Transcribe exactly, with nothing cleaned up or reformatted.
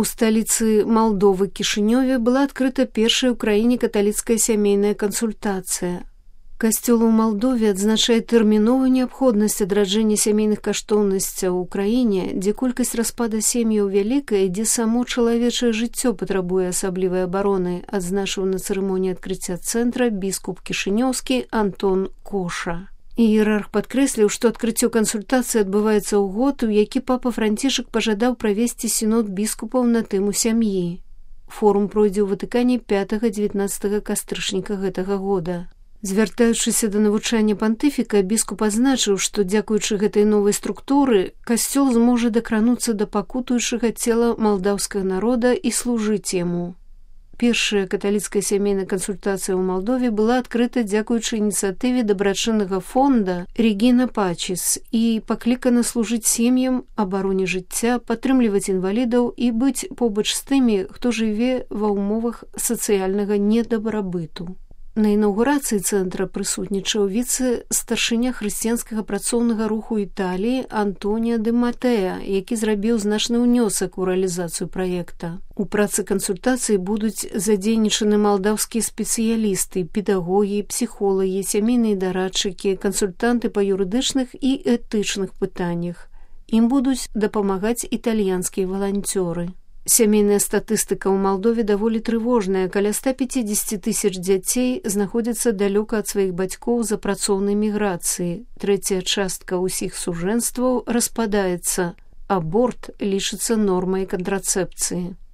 У сталіцы Малдовы Кішынёве была адкрыта першая ў краіне каталіцкая сямейная кансультацыя. Касцёл у Малдове адзначае тэрміновую неабходнасць адраджэння сямейных каштоўнасцяў у краіне, дзе колькасць распада сем'яў вялікая, дзе само чалавечае жыццё патрабуе асаблівай абароны, адзначыў на цырымоніі адкрыцця цэнтра біскуп кішынёўскі Антон Коша. Іерарх падкрэсліў, што адкрыццё кансультацыі адбываецца ў год, у які папа Францішак пажадаў правесці сінод біскупаў на тэму сям'і. Форум пройдзе ў Ватыкане пятага-дзевятнаццатага кастрычніка гэтага года. Звяртаючыся да навучання пантыфіка, біскуп адзначыў, што дзякуючы гэтай новай структуры касцёл зможа дакрануцца да пакутуючага цела малдаўскага народа і служыць яму. Першая каталіцкая сямейная кансультацыя ў Малдове была адкрыта дзякуючы ініцыятыве дабрачыннага фонда Регіна Пачіс і паклікана служыць сем'ям, абароне жыцця, падтрымліваць інвалідаў і быць побач з тымі, хто жыве ва ўмовах сацыяльнага недабрабыту. На інаўгурацыі цэнтра прысутнічаў віцэ-старшыня хрысціянскага працоўнага руху Італіі Антоніа де Матэа, які зрабіў значны ўнёсак у рэалізацыю праекта. У працы кансультацыі будуць задзейнічаны малдаўскія спецыялісты, педагогі, псіхолагі, сямейныя дарадчыкі, кансультанты па юрыдычных і этычных пытаннях. Ім будуць дапамагаць італьянскія валанцёры. Сямейная статыстыка ў Малдове даволі трывожная. Каля ста пяцідзесяці тысяч дзяцей знаходзяцца далёка ад сваіх бацькоў за працоўнай міграцыі. Трэцяя частка ўсіх сужэнстваў распадаецца. Аборт лічыцца нормай кантрацэпцыі.